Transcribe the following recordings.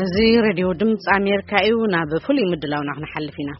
እዚ ሬድዮ ድምፂ ኣሜሪካ እዩ። ናብ ፍሉይ ምድላውና ክንሓልፍ ኢና።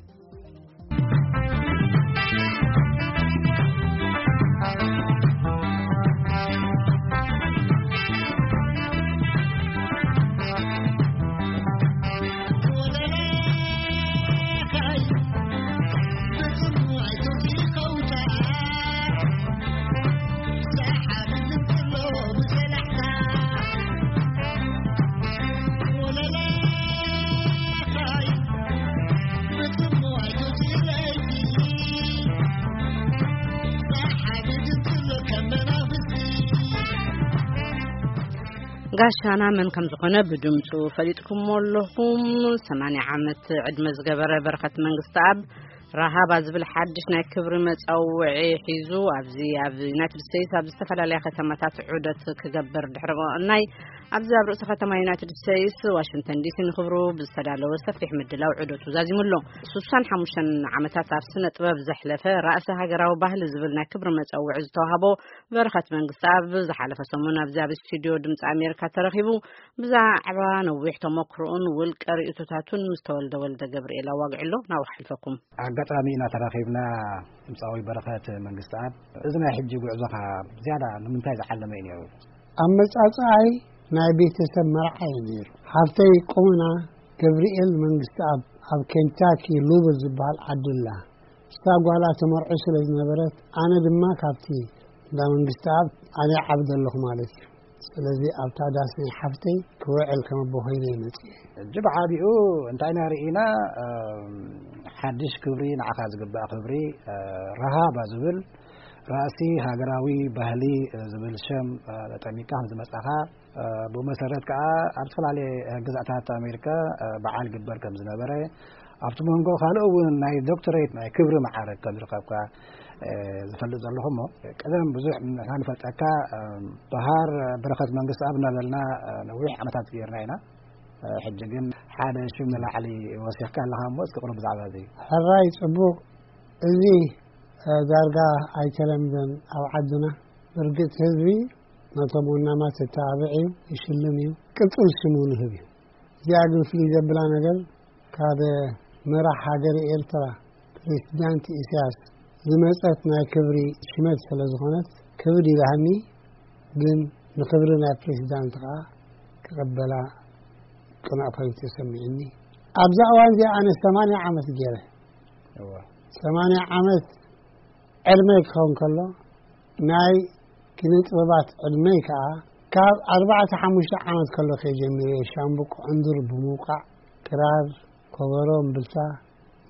ጋሻና መን ከም ዝኾነ ብድምፁ ፈሊጥኩሞ ኣለኹም። ሰማንያ ዓመት ዕድመ ዝገበረ በረኸት መንግስተኣብ ራሃባ ዝብል ሓድሽ ናይ ክብሪ መጸውዒ ሒዙ ኣብዚ ኣብ ዩናይትድ ስቴትስ ኣብ ዝተፈላለያ ከተማታት ዑደት ክገብር ድሕሪ ምእናይ፣ ኣብዚ ኣብ ርእሲ ከተማ ዩናይትድ ስቴትስ ዋሽንግተን ዲሲ ንክብሩ ብዝተዳለወ ሰፊሕ ምድላው ዑደቱ ዛዚሙ ኣሎ። ስሳን ሓሙሽተን ዓመታት ኣብ ስነ ጥበብ ዘሕለፈ ራእሲ ሃገራዊ ባህሊ ዝብል ናይ ክብሪ መጸውዒ ዝተዋህቦ በረኸት መንግስተኣብ ዝሓለፈ ሰሙን ኣብዚ ኣብ ስቱዲዮ ድምፂ ኣሜሪካ ተረኺቡ ብዛዕባ ነዊሕ ተመክሮኡን ውልቀ ርእይቶታቱን ምስ ተወልደ ወልደ ገብርኤል ኣዋጊዑ ኣሎ። ናብኡ ክሓልፈኩም። ኣጋጣሚ ኢና ተራኺብና። ድምፃዊ በረኸት መንግስተኣብ፣ እዚ ናይ ሕጂ ጉዕዞኻ ዝያዳ ንምንታይ ዝዓለመ እዩ ነይሩ? ኣመጻጽኣይ ናይ ቤተሰብ መርዓ እዩ ነይሩ። ሓፍተይ ቁምና ገብርኤል መንግስተኣብ ኣብ ኬንታኪ ሉብል ዝበሃል ዓዲ ኣላ። እሳ ጓላ ተመርዖ ስለ ዝነበረት፣ ኣነ ድማ ካብቲ እንዳ መንግስተኣብ ኣነ ዓብደ ኣለኹ ማለት እዩ። ስለዚ ኣብታ ዳስ ናይ ሓፍተይ ክውዕል ከም ኣቦ ኮይነ እየ መጺኤ። ሕጂ ብዓቢኡ እንታይ ኢና ርኢና? እም፣ ሓድሽ ክብሪ፣ ንዓኻ ዝግባእ ክብሪ፣ እ፣ ረሃባ ዝብል ራእሲ ሃገራዊ ባህሊ፣ እ፣ ዝብል ሸም፣ እ፣ ጠሚካ ከም ዝመጻኻ፣ እ፣ ብኡ መሰረት ከኣ ኣብ ዝተፈላለየ ግዛእታት ኣሜሪካ፣ እ፣ በዓል ግበር ከም ዝነበረ፣ ኣብቲ መንጎ ካልእ እውን ናይ ዶክተሬት ናይ ክብሪ መዓረግ ከም ዝረኸብካ፣ እ፣ ዝፈልጥ ዘለኹ እሞ፣ ቀደም ብዙሕ ንሕና ንፈልጠካ፣ እ፣ በሃር በረኸት መንግስተኣብ እናበልና፣ እ፣ ነዊሕ ዓመታት ገይርና ኢና። እ፣ ሕጂ ግን ሓደ ሽም ንላዕሊ ወሲኽካ ኣለኻ እሞ፣ እስኪ ቁሩብ ብዛዕባ እዚ። ሕራይ ጽቡቕ። እዚ፣ እ፣ ዳርጋ ኣይተለምደን ኣብ ዓድና። ብርግጽ ህዝቢ ነቶም ወናማት የተባብዕ እዩ፣ ይሽልም እዩ፣ ቅጽል ሽሙ ንህብ እዩ። እዚኣ ግን ፍልይ ዘብላ ነገር፣ ካብ መራሕ ሃገር ኤርትራ ፕሬዚዳንት ኢሳያስ ዝመጸት ናይ ክብሪ ሽመት ስለ ዝኾነት፣ ክብሪ ይብሃኒ፣ ግን ንክብሪ ናይ ፕሬዚዳንት ከኣ ክቕበላ ቅኑዕ ኮይኑ ተሰሚዑኒ። ኣብዛ እዋን እዚኣ ኣነ ሰማንያ ዓመት ገይረ። እወ። ሰማንያ ዓመት ዕድመይ ክኸውን ከሎ፣ ናይ ኪነ ጥበባት ዕድመይ ከኣ ካብ ኣርባዕተ ሓሙሽተ ዓመት ከሎ ከይጀሚረ እየ ሻምብቆ ዕንዱር ብምውቃዕ፣ ክራር፣ ከበሮ፣ እምብልታ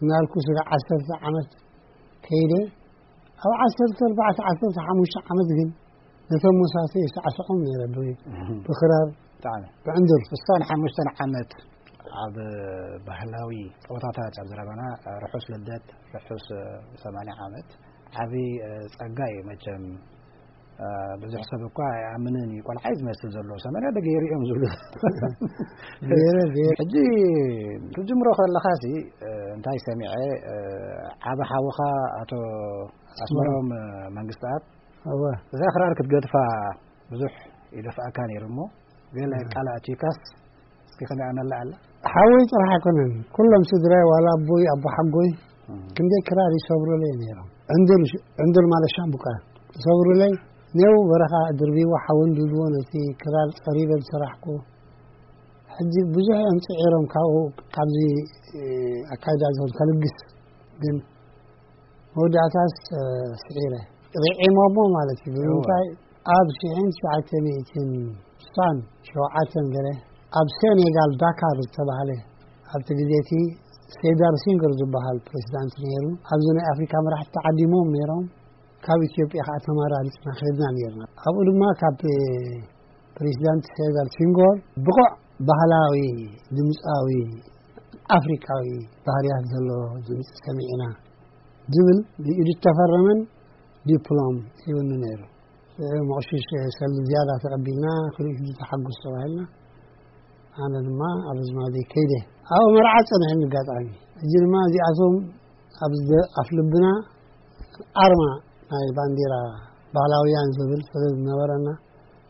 እናልኩ ስጋዕ ዓሰርተ ዓመት ከይደ። ኣብ ዓሰርተ ኣርባዕተ፣ ዓሰርተ ሓሙሽተ ዓመት ግን ነቶም መሳሰይ ይሳዕስዖም ነይረ ብ-፣ እህ። ብክራር፣ ብጣዕሚ። ብዕንዱር። ስሳን ሓሙሽተን ዓመት ኣብ ባህላዊ ጸወታታት ኣብ ዘረባና፣ ርሑስ ልደት፣ ርሑስ ሰማንያ ዓመት። ዓቢ፣ እ፣ ጸጋ እዩ መቸም። እ፣ ብዙሕ ሰብ እኳ ኣይኣምንን እዩ። ቆልዓ እዩ ዝመስል ዘሎ። ሰማንያ ዶ ገይሩ እዮም ዝብሉ። ገይረ፣ ገይረ። ሕጂ ክትጅምሮ ከለኻሲ፣ እ፣ እንታይ ሰሚዐ፣ እ፣ ዓቢ ሓውኻ ኣቶ ኣስመሮም፣ እ፣ መንግስተኣብ፣ እወ። እዛ ክራር ክትገድፋ ብዙሕ ይደፍኣካ ነይሩ እሞ፣ ገለ እወ። ቃል ኣእቲካስ እስኪ ከመይ ኣመላ ኣላ? ሓወይ ጥራሕ ኣይኮነን፣ ኩሎም ስድራይ፣ ዋላ ኣቦይ፣ ኣቦ ሓጎይ፣ እም። ክንደይ ክራር ይሰብሩለይ ነይሮም። ዕንዱር፣ ዕንዱር ማለት ሻምቡቃ ይሰብሩለይ። ኔው በረኻ ድርቢዎ ሓወን ድልዎ ነቲ ክራር ጸሪበ ዝሰራሕኩ። ሕጂ ብዙሕ እዮም ጽዒሮም ካብኡ፣ ካብዚ፣ እ፣ ኣካይዳ ዝኸውን ከልግስ። ግን መወዳእታስ፣ እ፣ ስዒረ። ርዒሞሞ ማለት እዩ። እወ። ብምንታይ? ኣብ ሽሕን ትሽዓተ ሚእትን ስሳን ሸውዓተን ገለ ኣብ ሴኔጋል ዳካር ዝተባህለ፣ ኣብቲ ግዜ እቲ ሴዳር ሲንገር ዝበሃል ፕሬዚዳንት ነይሩ። ኣብዚ ናይ ኣፍሪካ መራሕቲ ተዓዲሞም ነይሮም። ካብ ኢትዮጵያ ከዓ ተመራሪፅና ከድና ነይርና። ኣብኡ ድማ ካብ ፕሬዚዳንት ሴዳር ሲንጎር ብቑዕ ባህላዊ ድምፃዊ ኣፍሪካዊ ባህርያት ዘለዎ ድምፂ ሰሚዕና ዝብል ብኢዱ ዝተፈረመን ዲፕሎም ሂቡኒ ነይሩ። መቑሽሽ ሰልዲ ዝያዳ ተቐቢልና፣ ክልኢት ተሓጉስ ተባሂልና። ኣነ ድማ ኣብ ኣዝማደይ ከይደ። ኣብኡ መርዓ ጸንሐኒ ኣጋጣሚ። ሕጂ ድማ እዚኣቶም ኣብ ዝደ-፣ ኣፍ ልብና ኣርማ ናይ ባንዲራ ባህላውያን ዝብል ስለ ዝነበረና፣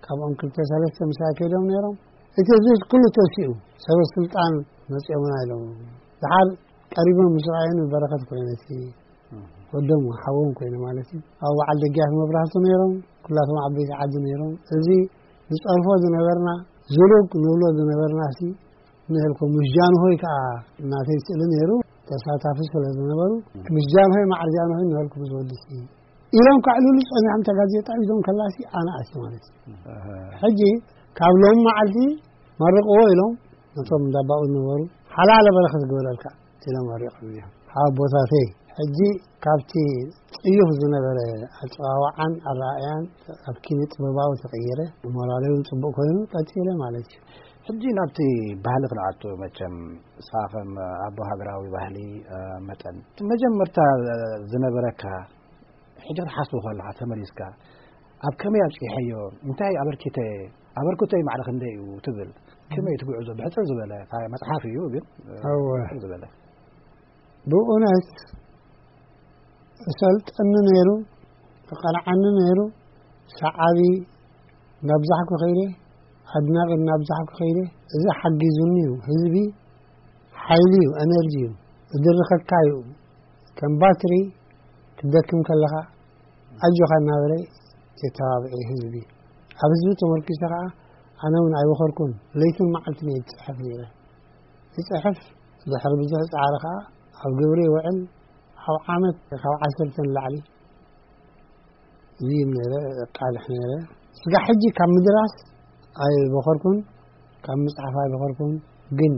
ካብኦም ክልተ ሰለስተ ምሳይ ከይዶም ነይሮም። እቲ ህዝቢ ኩሉ ተሲኡ፣ ሰበ ስልጣን መጺኦምና ኢሎም። ደሓር ቀሪቦም ምስ ረኣዩኒ በረኸት ኮይነ፣ እቲ ወዶም ሓዎም ኮይነ ማለት እዩ። ኣብ በዓል ደጊያት መብራህቱ ነይሮም፣ ኩላቶም ዓበይቲ ዓዲ ነይሮም። እዚ ንጸርፎ ዝነበርና፣ ዝሉግ ንብሎ ዝነበርና ሲ ንህልኩም። ምስ ጃንሆይ ከኣ እናተይ ስእሊ ነይሩ፣ ተሳታፊ ስለ ዝነበሩ፣ ምስ ጃንሆይ ማዕር ጃንሆይ ንህልኩም ዝወድስ እዩ ኢሎም ከዕልሉ ጸኒሖም። እታ ጋዜጣ ሒዞም ከላሲ ኣነ ኣትየ ማለት እዩ። ሕጂ ካብ ሎም መዓልቲ መርቕዎ ኢሎም ነቶም እንዳባኡ ዝነበሩ ሓላለ በረኸት ግበረልካ ኢሎም መሪቖም እዮም። ሓቦታተይ ሕጂ ካብቲ ጽዩፍ ዝነበረ ኣጸዋውዓን ኣረኣእያን ኣብ ኪነ ጥበባዊ ተቐየረ። ሞራለይ እውን ጽቡቕ ኮይኑ ቀጺለ ማለት እዩ። ሕጂ ናብቲ ባህሊ ክንኣቱ መቸም፣ ንስኻ ከም ኣቦ ሃገራዊ ባህሊ፣ እ፣ መጠን፣ እቲ መጀመርታ ዝነበረካ፣ ሕጂ ክትሓስቦ ከለኻ ተመሊስካ፣ ኣብ ከመይ ኣብጺሐዮ፣ እንታይ ኣበርኪተ፣ ኣበርክቶይ ማዕረ ክንደይ እዩ ትብል? ከመይ እቲ ጉዕዞ? ብሕጽር ዝበለ፣ እታ መጽሓፍ እዩ ግን፣ እ፣ እወ። ብሕጽር ዝበለ። ብእውነት እሰልጠኒ ነይሩ፣ እቐንዓኒ ነይሩ። ሰዓቢ እናብዛሕኩ ከይደ፣ ኣድናቒ እናብዛሕኩ ከይደ። እዚ ሓጊዙኒ እዩ። ህዝቢ ሓይሊ እዩ፣ ኤነርጂ እዩ፣ ዝድርኸካ እዩ። ከም ባትሪ ክትደክም ከለኻ ኣጆኻ እናበለ የተባብዐ ህዝቢ። ኣብ ህዝቢ ተመርኪሰ ኸዓ ኣነ እውን ኣይበኸርኩን፣ ለይትን መዓልትን እየ ዝጽሕፍ ነይረ። ይጽሕፍ፣ ድሕሪ ብዙሕ ጻዕሪ ኸዓ ኣብ ግብሪ ይውዕል። ኣብ ዓመት ካብ ዓሰርተ ንላዕሊ ይህብ ነይረ፣ የቃልሕ ነይረ። ስጋዕ ሕጂ ካብ ምድራስ ኣይበኸርኩን፣ ካብ ምጽሓፍ ኣይበኸርኩን። ግን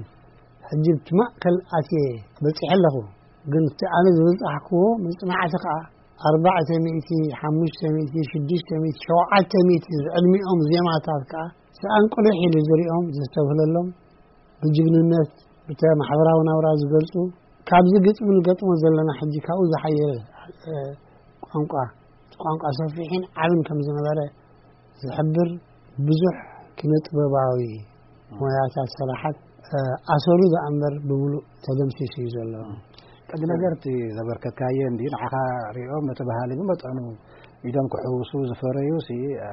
ሕጂ ኣብቲ ማእከል ኣትየ በጺሐ ኣለኹ። ግን እቲ ኣነ ዝበጻሕክዎ መጽናዕቲ ከኣ ኣርባዕተ ሚእቲ፣ ሓሙሽተ ሚእቲ፣ ሽዱሽተ ሚእቲ፣ ሸውዓተ ሚእቲ ዝዕድሚኦም ዜማታት ከኣ ሰኣን ቁሊሕ ኢሉ ዝሪኦም፣ ዘስተብህለሎም፣ ብጅግንነት፣ ብተ-፣ ማሕበራዊ ናብራ ዝገልጹ፣ ካብዚ ግጥሚ ንገጥሞ ዘለና ሕጂ ካብኡ ዝሓየለ፣ እ፣ ቋንቋ፣ ቋንቋ ሰፊሕን ዓብን ከም ዝነበረ ዝሕብር ብዙሕ ኪነ ጥበባዊ ሞያታት፣ ስራሓት፣ እ፣ ኣሰሩ ዝኣምበር ብምሉእ ተደምሲሱ እዩ ዘሎ። ቀንዲ ነገር እቲ ዘበርከትካዮ እንዲ ንዓኻ ሪኦም ነቲ ባህሊ ብመጠኑ ኢዶም ክሕውሱ ዝፈረዩ ሲ፣ እ፣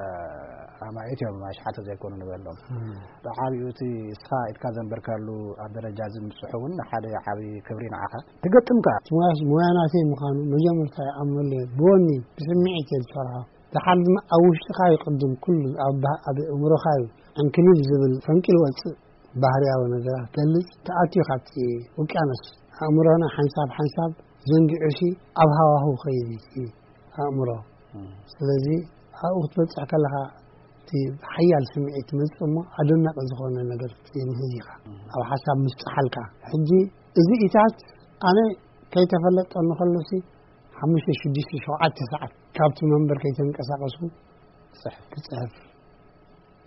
ኣማኢት እዮም፣ ኣሽሓት ዘይኮኑ ንበሎም። እም። ብዓቢኡ እቲ እስኻ ኢድካ ዘንበርካሉ ኣብ ደረጃ እዚ ምብጽሑ እውን ሓደ ዓቢ ክብሪ ንዓኻ። ትገጥም ከኣ። እቲ ሞያስ ሞያ ናተይ ምዃኑ መጀመርታ ይኣምነሉ እየ። ብወኒ፣ ብስምዒት እየ ዝሰርሖ። ደሓር ድማ ኣብ ውሽጥኻ እዩ ቅድም ኩሉ፣ ኣብ ባህ-፣ ኣብ እምሮኻ እዩ ዕንክሊል ዝብል ፈንቂል ወጽእ ባህርያዊ ነገራት ገልጽ። ተኣትዩ ካብቲ ውቅያኖስ ኣእምሮና ሓንሳብ ሓንሳብ ዘንጊዑሲ ኣብ ሃዋህው ኸይድ እዩ እቲ ኣእምሮ። እም። ስለዚ ኣብኡ ክትበጽሕ ከለኻ እቲ ሓያል ስምዒት ትመጽእ እሞ ኣደናቂ ዝኾነ ነገር ትምህዝ ኢኻ። እም። ኣብ ሓሳብ ምስ ጸሓልካ። ሕጂ እዚ ኢታት ኣነ ከይተፈለጠኒ ከሎሲ ሓሙሽተ፣ ሽዱሽተ፣ ሸውዓተ ሰዓት ካብቲ መንበር ከይተንቀሳቐስኩ ክጽሕፍ። ክጽሕፍ።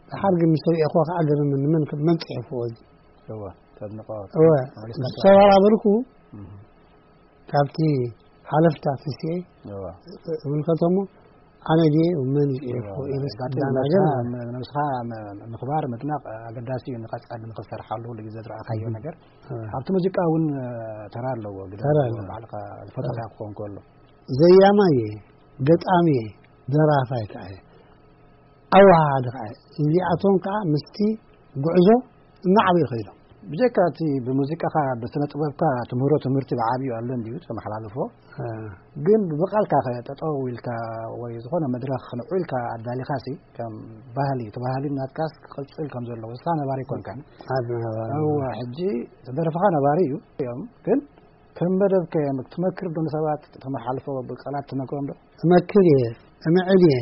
ደሓር ግን ምስ ርእኹ ከኣ ገርምኒ፣ መን፣ መን ጽሒፍዎ እዚ? እወ፣ ተድንቖ። እወ፣ መሊስካ ምስ ተበራበርኩ እህ። ካብቲ ሓለፍታ ተሲኤ እወ። እምልከቶሞ ኣነ ድየ መን እዩ ጽሒፍዎ እወ። ኢለ ኣጋጣሚ ስዳና ነብስኻ፣ ገርምኒ። ም-፣ ነብስኻ ም-፣ ምኽባር፣ ምድናቕ ኣገዳሲ እዩ፣ ንቐጻሊ ንኽትሰርሓሉ ኩሉ ግዜ ዝረኣኻዮ እህ። ነገር። እወ። ኣብቲ ሙዚቃ እውን፣ እ፣ ተራ ኣለዎ፣ ግደ ተራ ኣለዎ። ባዕልኻ ዝፈጠርካ እወ። ክኸውን ከሎ። ዘያማይ እየ፣ ገጣሚ እየ፣ ደራፋይ ከኣ እየ። ኣወሃሃዲ ከኣ እየ። እዚኣቶም ከኣ ምስቲ ጉዕዞ እናዓበዩ ከይዶም። ብጀካ እቲ ብሙዚቃኻ፣ ብስነ ጥበብካ ትምህሮ ትምህርቲ ብዓብዩ ኣሎ እንድዩ ተመሓላልፎ። እ። ግን ብቃልካ ከ ጠጠው ኢልካ ወይ ዝኾነ መድረኽ ንዑ ኢልካ ኣዳሊኻሲ ከም ባህሊ፣ እቲ ባህሊ ናትካስ ክቕጽል ከም ዘለዎ ንስኻ ነባሪ ኮንካ። ኣድ ነባሪ። እወ፣ ሕጂ እቲ ደርፍኻ ነባሪ እዩ እዮም፣ ግን ከም መደብ ከ ትመክር ዶ ንሰባት? ተመሓልፎ ብቃላት ትነግሮም ዶ? እመክር እየ፣ እምዕድ እየ።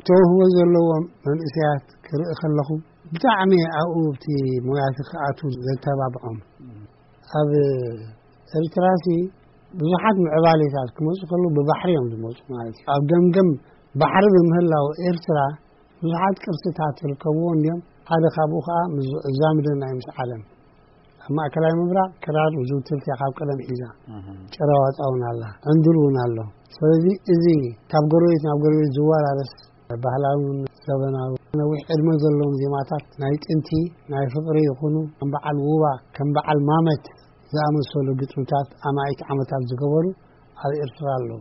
ተውህቦ ዘለዎም መንእሰያት ክርኢ ከለኹ ብጣዕሚ ኣብኡ ኣብቲ ሞያቲ ክኣትዉ ዘተባብዖም። ኣብ ኤርትራሲ ብዙሓት ምዕባሌታት ክመጹ ከለዉ ብባሕሪ እዮም ዝመጹ ማለት እዩ። ኣብ ገምገም ባሕሪ ብምህላው ኤርትራ ብዙሓት ቅርስታት ዝርከብዎ እንድዮም። ሓደ ካብኡ ከኣ ምስ ዛምደና እዩ ምስ ዓለም። ኣብ ማእከላይ ምብራቕ ክራር ዝውትርቲ እያ ካብ ቀደም ሒዛ። እህ። ጭራ ዋጣ እውን ኣላ፣ ዕንዱር እውን ኣሎ። ስለዚ እዚ ካብ ጎረቤት ናብ ጎረቤት ዝወራረስ ባህላውን ዘበናዊ ነዊሕ ዕድመ ዘለዎም ዜማታት ናይ ጥንቲ ናይ ፍቕሪ ይኹኑ፣ ከም በዓል ውባ፣ ከም በዓል ማመት ዝኣመሰሉ ግጥምታት ኣማኢት ዓመታት ዝገበሩ ኣብ ኤርትራ ኣለዉ።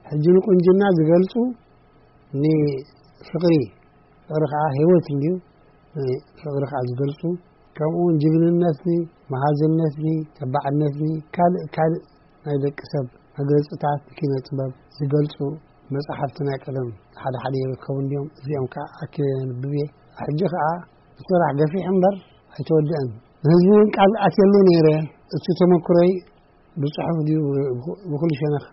ሕጂ ንቁንጅና ዝገልጹ ንፍቕሪ፣ ፍቕሪ ከኣ ህይወት እንድዩ። ፍቕሪ ከዓ ዝገልፁ፣ ከምኡ እውን ጅግንነትኒ፣ መሃዝነትኒ፣ ተባዕነትኒ፣ ካልእ ካልእ ናይ ደቂ ሰብ መግለፅታት ኪነ ጥበብ ዝገልፁ መፅሓፍቲ ናይ ቀደም ሓደ ሓደ ይርከቡ እንዲዮም። እዚኦም ከዓ ኣኪበ የንብብ እየ። ሕጂ ከዓ እቲ ስራሕ ገፊሕ እምበር ኣይተወድአን። ንህዝቢ እውን ቃል ኣትየሉ ነይረ። እቲ ተመክሮይ ብፅሑፍ ድዩ ብኩ-፣ ብኩሉ ሸነኽ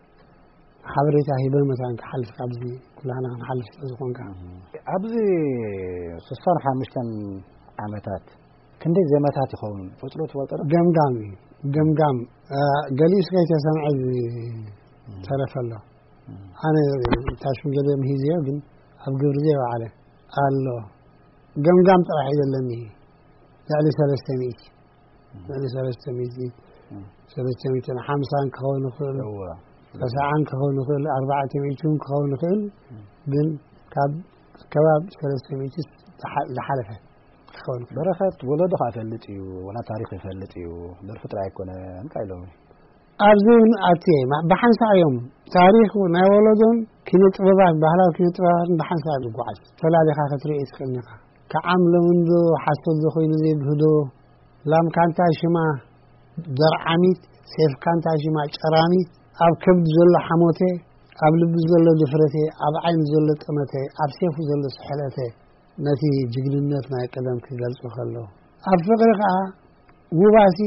ሓበሬታ ሂበ መታን ክሓልፍ፣ ካብዚ ኩላህና ክንሓልፍ ስለ ዝኾንካ። ኣብዚ ስሳን ሓሙሽተን ዓመታት ክንደይ ዜማታት ይኸውን? ቁጽሩ ትፈልጦ ዶ? ገምጋም እዩ። ገምጋም፣ አ፣ ገሊኡስ ከይተሰምዐ ዝተረፈ ኣሎ። ኣነ ታሽም ገለ ምሂዝዮ፣ ግን ኣብ ግብሪ ዘይወዓለ ኣሎ። ገምጋም ጥራሕ እዩ ዘለኒ። ልዕሊ ሰለስተ ሚእቲ። ልዕሊ ሰለስተ ሚእቲ። ሰለስተ ሚእትን ሓምሳን ክኸውን ይኽእል። እወ። ተስዓን ክኸውን ይኽእል፣ ኣርባዕተ ሚእትን ክኸውን ይኽእል። ግን ካብ ከባቢ ሰለስተ ሚእቲ ዝሓ-፣ ዝሓለፈ ክኸውን ይኽእል። በረኸት ወለዶ ከኣ ይፈልጥ እዩ፣ ወላ ታሪኽ ይፈልጥ እዩ። ደርፊ ጥራይ ኣይኮነን፣ እንታይ ኢሎም? ኣብዚ እውን ኣትየ፣ ማ-፣ ብሓንሳእ እዮም። ታሪኽ ናይ ወለዶን ኪነ ጥበባት፣ ባህላዊ ኪነ ጥበባትን ብሓንሳእ እዮም ዝጓዓዝ። ፈላሊኻ ክትርኢ ትኽእል ኢኻ። ከዓም ሎሚ እንዶ ሓሶት ዶ ኮይኑ ዘይግህዶ፣ ላምካ እንታይ ሽማ ደርዓሚት፣ ሴፍካ እንታይ ሽማ ጨራሚት፣ ኣብ ከብዲ ዘሎ ሓሞተ፣ ኣብ ልቢ ዘሎ ድፍረተ፣ ኣብ ዓይኒ ዘሎ ጠመተ፣ ኣብ ሴፉ ዘሎ ስሕለተ፣ ነቲ ጅግንነት ናይ ቀደም ክገልጹ ከለዉ። ኣብ ፍቕሪ ከኣ ውባሲ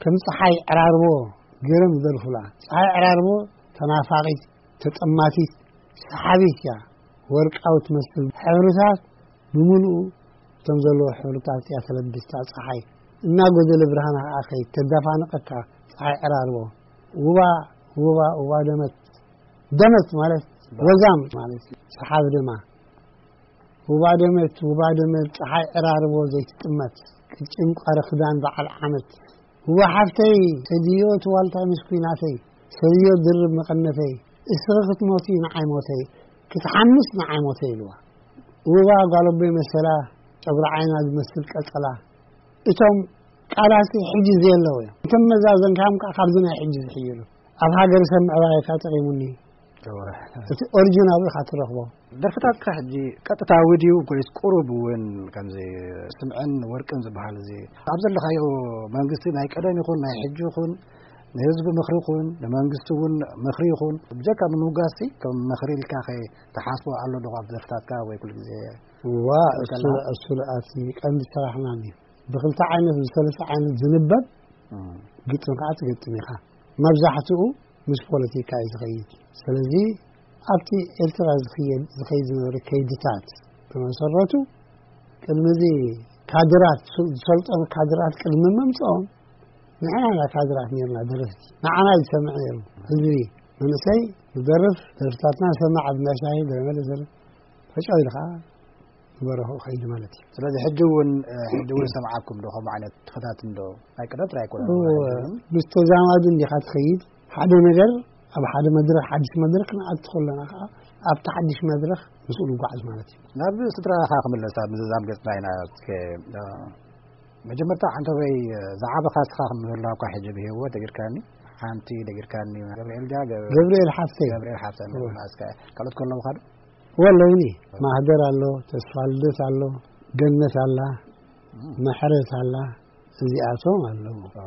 ከም ጸሓይ ዕራርቦ ገይሮም ይደርፉላ። ጸሓይ ዕራርቦ ተናፋቒት፣ ተጠማቲት፣ ሰሓቢት እያ። ወርቃዊ ትመስል ሕብርታት ብምሉኡ እቶም ዘለዎ ሕብርታት እያ ተለብስታ ጸሓይ። እናጎደለ ብርሃና ከኣ ከይድ ተደፋንቐካ ጸሓይ ዕራርቦ። ውባ፣ ውባ፣ ውባ ደመት። ደመት ማለት ወዛም ማለት እዩ። ሰሓቢ ደማ። ውባ ደመት፣ ውባ ደመት፣ ጸሓይ ዕራርቦ ዘይትጥመት። ቅጭን ቋሪ ክዳን በዓል ዓመት። ውባ ሓፍተይ፣ ሰድዮ እቲ ዋልታይ ምስ ኲናተይ። ሰድዮ ድርብ መቐነተይ። እስኺ ክትሞቲ ንዓይ ሞተይ። ክትሓምስ ንዓይ ሞተይ ኢልዋ። ውባ ጓል ኣቦይ መሰላ፣ ጨጉሪ ዓይና ዝመስል ቀጸላ። እቶም ቃላሲ ሕጂ ዘየለዉ እዮም። እቶም መዛዘንካዮም ከኣ ካብዚ ናይ ሕጂ ዝሕይሉ። ኣብ ሃገር ሰብ ምዕባይ ከኣ ጠቒሙኒ። እወ። እቲ ኦሪጂናሉ ኢኻ ትረኽቦ። ደርፍታትካ ሕጂ ቀጥታዊ ድዩ ወይስ ቁሩብ እውን ከምዚ ስምዕን ወርቅን ዝበሃል እዚ ኣብ ዘለኻዮ መንግስቲ ናይ ቀደም ይኹን ናይ ሕጂ ይኹን ንህዝቢ ምኽሪ ይኹን ንመንግስቲ እውን ምኽሪ ይኹን ብጀካ ንምውጋስቲ ከም ምኽሪ ኢልካ ከ ትሓስቦ ኣሎ ዶ ኣብ ደርፍታትካ ወይ ኩሉ ግዜ እዋ፣ እሱ፣ ትፈልጠና? እሱ ኣቲ ቀንዲ ስራሕና እዩ። ብክልተ ዓይነት፣ ብሰለስተ ዓይነት ዝንበብ እም። ግጥም ከዓ ትግጥም ኢኻ። መብዛሕትኡ ምስ ፖለቲካ እዩ ዝኸይድ። ስለዚ ኣብቲ ኤርትራ ዝኽየድ፣ ዝኸይድ ዝነበረ ከይድታት ብመሰረቱ ቅድሚ እዚ ካድራት፣ ዝሰልጠኑ ካድራት ቅድሚ ምምፅኦም ንሕና ኢና ካድራት ነርና ደረፍቲ። ንዓና እዩ ዝሰምዕ ነይሩ ህዝቢ። መንእሰይ ዝደርፍ ደርፍታትና ሰማዕ ብናሻሂ ገለ መለ ዘለ ተጫው ኢሉ ከዓ ዝበረኹ ከይዱ ማለት እዩ። ስለዚ ሕጂ እውን፣ እ፣ ሕጂ እውን ሰምዓኩም ዶ ከምኡ ዓይነት ተኸታትን ዶ? ናይ ቀደም ጥራይ ኣይኮነን እወ፣ ማለት እዩ። ምስ ተዛማዱ እንዲኻ ትኸይድ። ሓደ ነገር ኣብ ሓደ መድረኽ፣ ሓድሽ መድረኽ ክንኣቱ ከለና ከዓ ኣብቲ ሓድሽ መድረኽ ምስኡ ንጓዓዝ ማለት እዩ። ናብ ስድራኻ ክምለስ ኣብ ምዝዛም ገጽና ኢና። እስከ፣ እ፣ መጀመርታ ዓንተበይ፣ እ፣ ዝዓበኻ እስኻ ከም ምህላውካ ሕጂ ብህይወት ደጊርካኒ፣ ሓንቲ ደጊርካኒ፣ ገብርኤል ድያ? ገብ-፣ ገብርኤል ሓፍተይ። ገብርኤል ሓፍተይ እወ። ማለት እስከ ካልኦት ከለውኻ ዶ? ወለውኒ ማህደር ኣሎ፣ ተስፋ ልደት ኣሎ፣ ገነት ኣላ፣ እም። ምሕረት ኣላ፣ እዚኣቶም ኣለዉ። ኦ፣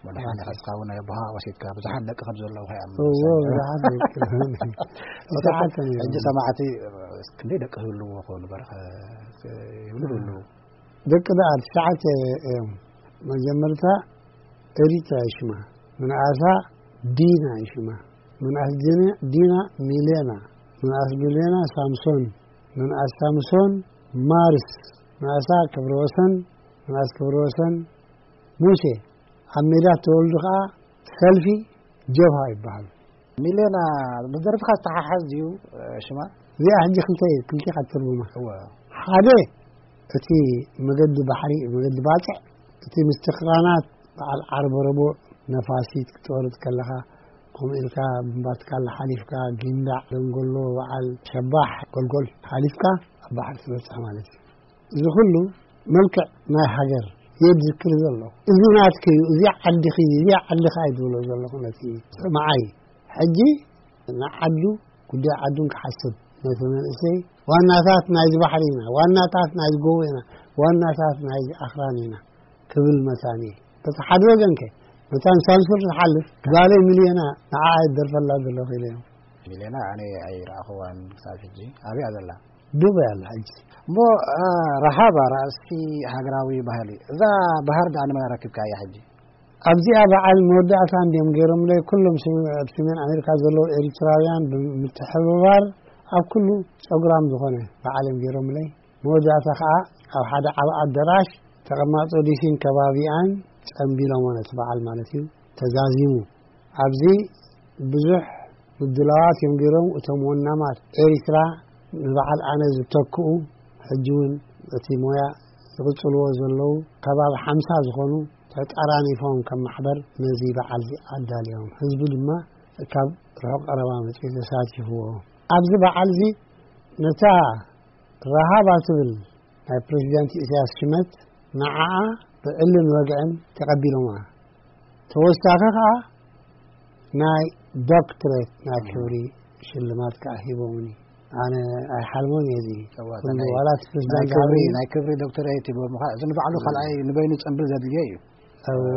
መድሓኒ ሕዝካ እውን ናይ ኣቦኻ ወሲድካ ብዙሓት ደቂ ከም ዘለዉ ከይኣምኑ እዎ፣ ወሰነ። ብዙሓት ደቂ። እቶም ትሽዓተ ነይሮም። ሕጂ ሰማዕቲ፣ ክንደይ ደቂ ህልዎ ኾኑ በረኸ ይብሉ ህልዉ። ደቂ ደኣ ትሽዓተ እዮም። መጀመርታ ኤሪትራ ይሽማ፣ ምንኣሳ ዲና ይሽማ፣ ምንኣስ ዲና፣ ዲና ሚሌና፣ ምንኣስ ሚሌና ሳምሶን፣ ምንኣስ ሳምሶን ማርስ፣ ምንኣሳ ክብረወሰን፣ ምንኣስ ክብረወሰን ሙሴ። ኣብ ሜዳ ተወልዱ ኸዓ ሰልፊ ጀብሃ ይበሃሉ። ሚሌና ምስ ደርፍኻ ዝተሓሓዝ ድዩ፣ እ፣ ሽማ? እዚኣ ሕጂ ክልተ፣ ክልቲኻ ትትርጉማ። እወ። ሓደ እቲ መገዲ ባሕሪ፣ መገዲ ባጽዕ፣ እቲ ምስቲ ክራናት በዓል ዓርቢ ረቡዕ ነፋሲት ክትወርድ ከለኻ፣ ከምኡ ኢልካ ምባትካላ ሓሊፍካ፣ ጊንዳዕ፣ ደንጎሎ፣ በዓል ሸባሕ፣ ጎልጎል ሓሊፍካ ኣብ ባሕሪ ትበጽሕ ማለት እዩ። እዚ ኩሉ መልክዕ ናይ ሃገር የድዝክር ዘሎ። እዚ ናትኪ እዩ፣ እዚ ዓድኺ እዩ፣ እዚ ዓድኻ እዩ ዝብሎ ዘለኹ ነቲ ሰማዓይ። ሕጂ ንዓዱ፣ ጉዳይ ዓዱን ክሓስብ፣ ነቲ መንእሰይ ዋናታት ናይዚ ባሕሪ ኢና፣ ዋናታት ናይዚ ጎቦ ኢና፣ ዋናታት ናይ ኣኽራን ኢና ክብል መታን እየ። በቲ ሓደ ወገን ከ መታን ሳንሱር ዝሓልፍ ጓለይ ሚልዮና ንዓ ኣይደርፈላ ዘለኹ ኢለ እዮም። ሚልዮና ኣነ ኣይረኣኽዋን ክሳብ ሕጂ። ኣበይ እያ ዘላ? ዱባይ ኣላ ሕጂ። እሞ፣ እ፣ ረሃባ ራእሲ ሃገራዊ ባህሊ፣ እዛ ባህር ዳኣ ንመን ኣረኪብካያ ሕጂ? ኣብዚኣ በዓል መወዳእታ እንድዮም ገይሮምለይ። ኩሎም ስም-፣ ኣብ ሰሜን ኣሜሪካ ዘለዉ ኤሪትራውያን ብምትሕብባር ኣብ ኩሉ ጸጉራም ዝኾነ በዓል እዮም ገይሮምለይ። መወዳእታ ከኣ ኣብ ሓደ ዓቢ ኣደራሽ ተቐማጦ ዲሲን ከባቢኣን ጸምቢሎሞ ነቲ በዓል ማለት እዩ ተዛዚሙ። ኣብዚ ብዙሕ ምድላዋት እዮም ገይሮም። እቶም ወናማት ኤሪትራ ንበዓል ኣነ ዝተክኡ ሕጂ እውን እቲ ሞያ ዝቕጽልዎ ዘለዉ ከባቢ ሓምሳ ዝኾኑ ተጠራኒፎም ከም ማሕበር ነዚ በዓል እዚ ኣዳልዮም። ህዝቢ ድማ ካብ ርሑቕ ቀረባ መጺኡ ተሳቲፍዎ። ኣብዚ በዓል እዚ ነታ ረሃባ ትብል ናይ ፕሬዚዳንት ኢሳያስ ሽመት ንዓኣ ብዕልን ወግዕን ተቐቢሎማ። ተወሳኺ ከኣ ናይ ዶክትሬት ናይ ክብሪ ሽልማት ከኣ ሂቦምኒ። ኣነ ኣይሓልሞን እየ እዚ እዋ፣ ኩሉ ናይ፣ ዋላ እቲ ፕሬዚዳንት ናይ ክብሪ፣ ኣበይ ናይ ክብሪ ዶክተሬት ሂቦምኻ። እዚ ንባዕሉ ካልኣይ ንበይኑ ጽምብል ዘድልዮ እዩ። እወ።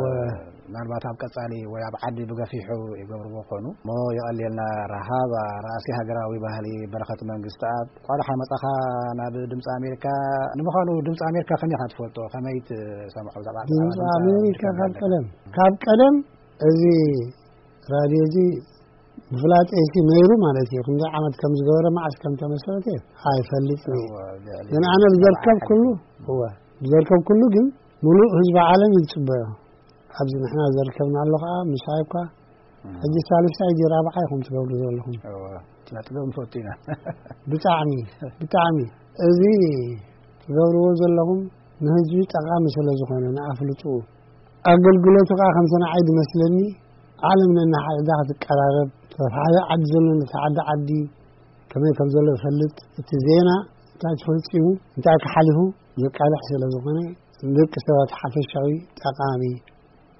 ምናልባት ኣብ ቀጻሊ ወይ ኣብ ዓዲ ብገፊሑ ይገብርዎ ኮኑ። እሞ የቐልየልና ረሃብ ራእሲ ሃገራዊ ባህሊ በረኸት መንግስትኣብ። እንኳን ደሓን መጻኻ ናብ ድምፂ ኣሜሪካ። ንምዃኑ ድምፂ ኣሜሪካ ከመይ ኢኻ ትፈልጦ? ከመይ ትሰምዖ? ብዛዕባ ድምፂ ኣሜሪካ ካብ ቀደም፣ ካብ ቀደም እዚ ራድዮ እዚ ምፍላጠይሲ ነይሩ ማለት እዩ። ክንደይ ዓመት ከም ዝገበረ፣ መዓስ ከም ተመስረተ ኣይፈልጥን እየ። እወ፣ ልዕሊ ግን ኣነ ብዘርከብ ኩሉ፣ እወ፣ ብዘርከብ ኩሉ ግን ምሉእ ህዝቢ ዓለም እዩ ዝጽበዮ። ኣብዚ ንሕና ዘርከብናሉ ከኣ ምሳይ እኳ እም። ሕጂ ሳልሳይ ድዩ ራብዓይ ኢኹም ትገብሩ ዘለኹም። እወ፣ ስነ ጥበብ ንፈቱ ኢና። ብጣዕሚ፣ ብጣዕሚ። እዚ ትገብርዎ ዘለኹም ንህዝቢ ጠቓሚ ስለ ዝኾነ፣ ንኣፍልጥኡ። ኣገልግሎቱ ከኣ ከምቲ ንዓይ ዝመስለኒ፣ ዓለም ነናሓድሕዳ ክትቀራረብ፣ ተተሓደ ዓዲ ዘሎ ነቲ ሓደ ዓዲ ከመይ ከም ዘሎ ይፈልጥ። እቲ ዜና እንታይ ተፈጺሙ፣ እንታይ ክሓሊፉ ዘቃልሕ ስለ ዝኾነ፣ ንደቂ ሰባት ሓፈሻዊ ጠቓሚ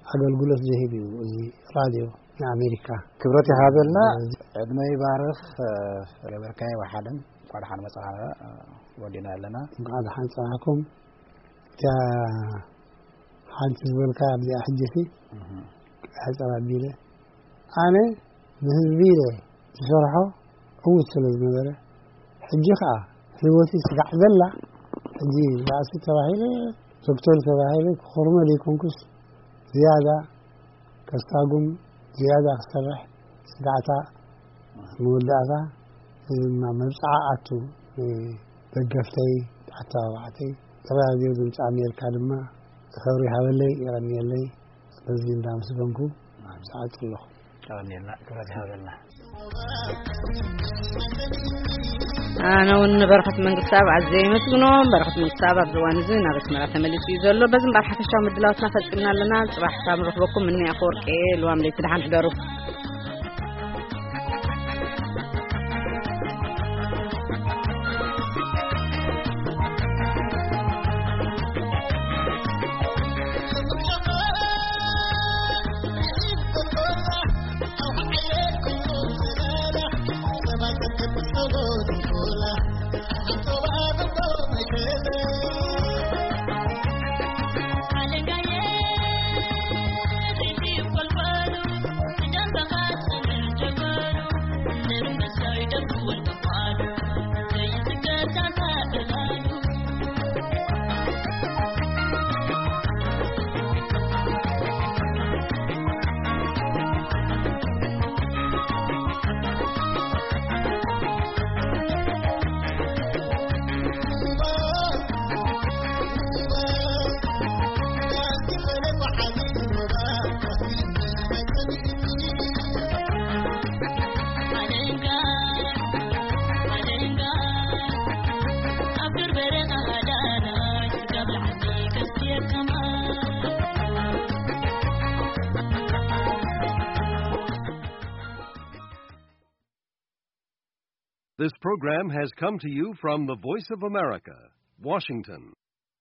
ኣገልግሎት ዝህብ እዩ እዚ ራድዮ ንኣሜሪካ። ክብረት ይሃበልና፣ እዚ ዕድመ ይባርኽ። እ፣ ገበርካዮ ወሓደን እንኳዕ ደሓን መጻኻ፣ እ፣ ወዲና ኣለና። እንኳዕ ደሓን ጸናሕኩም። እታ ሓንቲ ዝበልካ ኣብዚኣ ሕጂ ሲ እህ። ሕጽር ኣቢለ ኣነ ንህዝቢ ኢለ ዝሰርሖ ዕዉት ስለ ዝነበረ፣ ሕጂ ኸኣ ህይወቲ ስጋዕ ዘላ፣ ሕጂ ራእሲ ተባሂለ፣ ዶክተር ተባሂለ፣ ክኹርመ ዘይኮንኩስ፣ ዝያዳ ከስታጉም፣ ዝያዳ ክሰርሕ፣ ስጋዕታ መወዳእታ፣ እዚ ድማ መብጽዓ ኣቱ፣ እ፣ ደገፍተይ፣ ኣተባባዕተይ፣ ራድዮ ድምፂ ኣሜሪካ ድማ፣ ክብሪ ይሃበለይ፣ የቐንየለይ። ስለዚ እንዳመስገንኩ፣ ኣብ ሰዓት ኣለኹ። ቀንየልና፣ ክብረት ይሃበልና። ኣነ እውን ንበረኸት መንግስታብ ኣዘየ የመስግኖ። በረኸት መንግስታብ ኣብዚ እዋን እዚ ናብ ኣስመራ ተመሊሱ እዩ ዘሎ። በዚ እምበኣር ሓፈሻዊ ምድላዋትና ፈጺምና ኣለና። ጽባሕ ካብ ንረኽበኩም እኒ ኣፈወርቂ ልዋም ለይቲ ደሓን ሕደሩ። This program has come to you from the Voice of America, Washington.